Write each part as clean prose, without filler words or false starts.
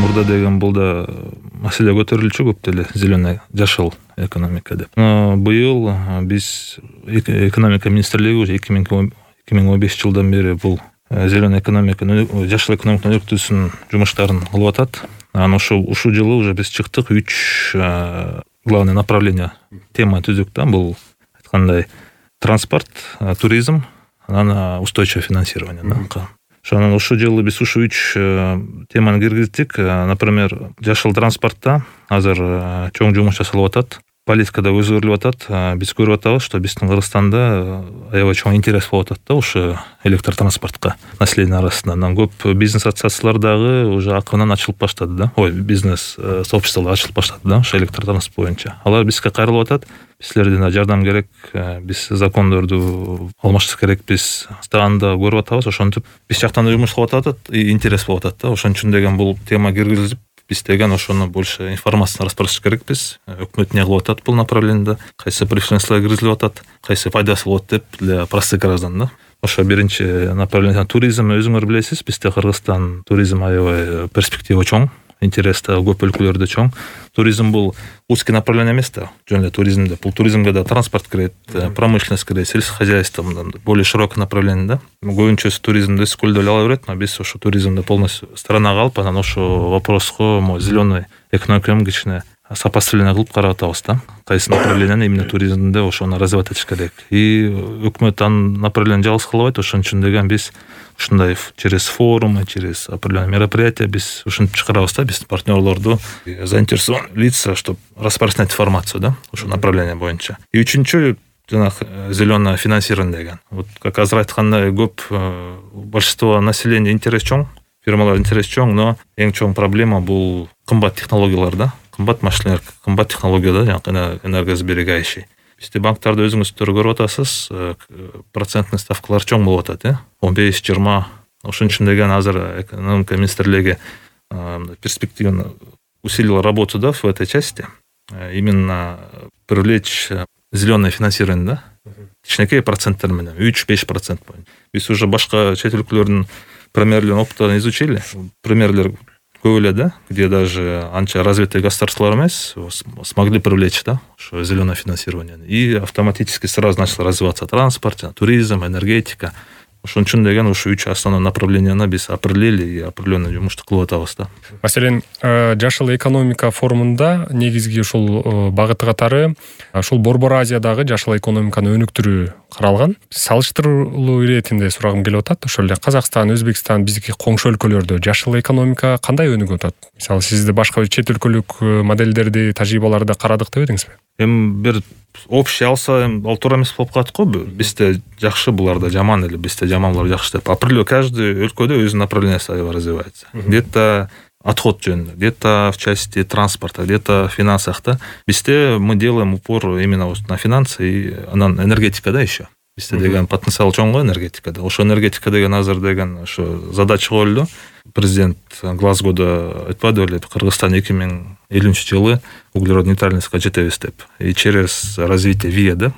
мурда деген бул да маселе көтөрүлчү көп деле, зеленый, жашыл экономика деп. Быйыл биз экономика министрлиги уже 2015 жылдан бери бул зеленый экономиканы, жашыл экономиканы өнүктүүсүнүн жумуштарын кылып атат. Анан ушул жылы уже биз чыктык 3 главный направление тема түздүк да. Бул айткандай транспорт, туризм, анан устойчивое финансирование да. Ошонун ушул жылы биз ушу 3 теманы киргиздик. Например, жашыл транспортто азыр чоң жумуш жасалып атат. Политикада өзгөрүлүп атат. Биз көрүп атабыз, что биздин Кыргызстанда аябай чоң интерес болуп атат да ушу электротранспортко население арасында. Анан көп бизнес ассоциациялар дагы уже акырынан ачылып баштады да. Бизнес сообществолор ачылып баштады да ушу электротранспорт боюнча. Алар бизге кайрылып атат. Силерден жардам керек, биз закондорду алмаштырыш керек, биз стаганда көрүп атабыз. Ошентип биз жактан жумуш кылып атат, интерес болуп атат да. Ошон үчүн деген бул тема киргизилип, биз деген ошону больше информацияны распространяш керекпиз. Өкмөт эмне кылып атат бул направлениеде, кайсы преференциялар киргизилип атат, кайсы пайдасы болот деп для простых граждан да. Ошо биринчи направление туризм. Өзүңөр билесиз, бизде Кыргызстан туризм аябай перспектива чоң, интерес да көп өлкөлөрдө чоң. Туризм бул узкий направление эмес да. Жөн эле туризмде. Бул туризмге да транспорт кирет, промышленность кирет, сельское хозяйство, более широкое направление да. Көбүнчөсү туризмди көйдөп ала берет, но биз ошо туризмди полностью сторонага алып, анан ошо вопроско зеленый экономиканы кичине сопоставление кылып карап атабыз да. Кайсы направленияны именно туризмде ошону развивать этиш керек. И өкмөт анын направлениени жалгыз кылбайт. Ошон үчүн деген биз ушундай через форумы, через определенные мероприятия биз ушинтип чыгарабыз да, биздин партнерлорду, заинтересованные лица, чтобы распространять информацию да, ушул направление боюнча. И үчүнчү жанагы зеленое финансирование деген. Вот как азыр айткандай, көп большинство населения интерес чоң, фирмалар интерес чоң, но эң чоң проблема бул кымбат технологиялар да. Кымбат машиналар, кымбат технология да, жанагы энергосберегающий. Бизде банктарда өзүңүздөр көрүп атасыз, процентный ставкалар чоң болуп атат, 15-20. Ошон үчүн деген азыр экономика министрлиги перспективно усилила работу да в этой части. Именно привлечь зеленое финансирование да. Кичинекей проценттер менен 3-5% боюнча. Биз уже башка чет өлкөлөрдүн примерлерин опыттарын изучили. Примерлер көп эле да, где даже анча развитые государстволар эмес смогли привлечь да ошо зеленое финансирование. И автоматически сразу начал развиваться транспорт, туризм, энергетика. Ошон үчүн деген ушу 3 основной направленияны биз определили и определенный жумушту кылып атабыз да. Маселен, жашыл экономика форумунда негизги ушул багыты катары ушул Борбор Азиядагы жашыл экономиканы өнүктүрүү каралган. Салыштыруулуу иретинде сурагым келип атат. Ошол эле Казакстан, Өзбекстан, биздики коңшу өлкөлөрдө жашыл экономика кандай өнүгүп атат? Мисалы, сиз башка чет өлкөлүк модельдерди, тажрыйбаларды карадык деп едиңизби? Бир общий алса, ал туура эмес болуп калат го. Бизде жакшы, буларда жаман эле, бизде жаман, булар жакшы деп. Определенно каждый өлкөдө өзүнүн направлениясы развивается. Где-то отход жөнүндө, где-то в части транспорта, где-то в финансах да. Бизде мы делаем упор именно на финансы и анан энергетика да еще. Бизде деген потенциал чоң го энергетикада. Ошо энергетика деген азыр деген ошо задача коюлду. Президент Глазгодо айтпады беле, Кыргызстан 2050 жылы углерод нейтральностька жетебиз деп. И через развитие ВИА да,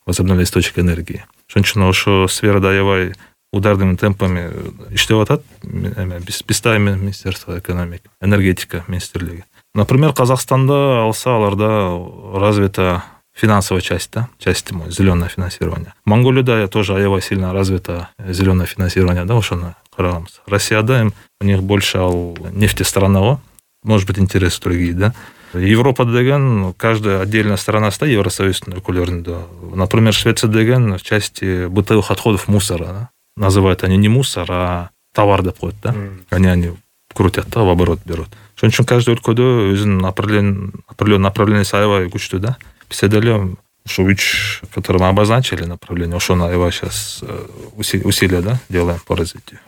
возобновляемых источников энергии. Ошон үчүн ошо сферада аябай ударными темпами иштеп атат. Биз да Министерство экономики, энергетика министрлиги. Например, Казахстанда алса, аларда развита финансовая часть, да, часть зеленое финансирование. Монголияда тоже аябай сильно развито зеленое финансирование, да, ошону карагамыз. Россияда у них больше нефти страна, может быть, интересы другие, да. Европада деген каждая отдельная страна стоит, Евросоюздун өлкөлөрүндө. Например, Швеция деген в части бытовых отходов мусора, да. Называют они не мусор, а товар деп коет, да. Они крутят, да, в оборот берут. Ошон үчүн каждый өлкөдө өзүнүн определенный направлениясы аябай күчтүү, да. Бизде деле ушу 3, которые мы обозначили направление, ошону аябай сейчас усилия да делаем по развитию.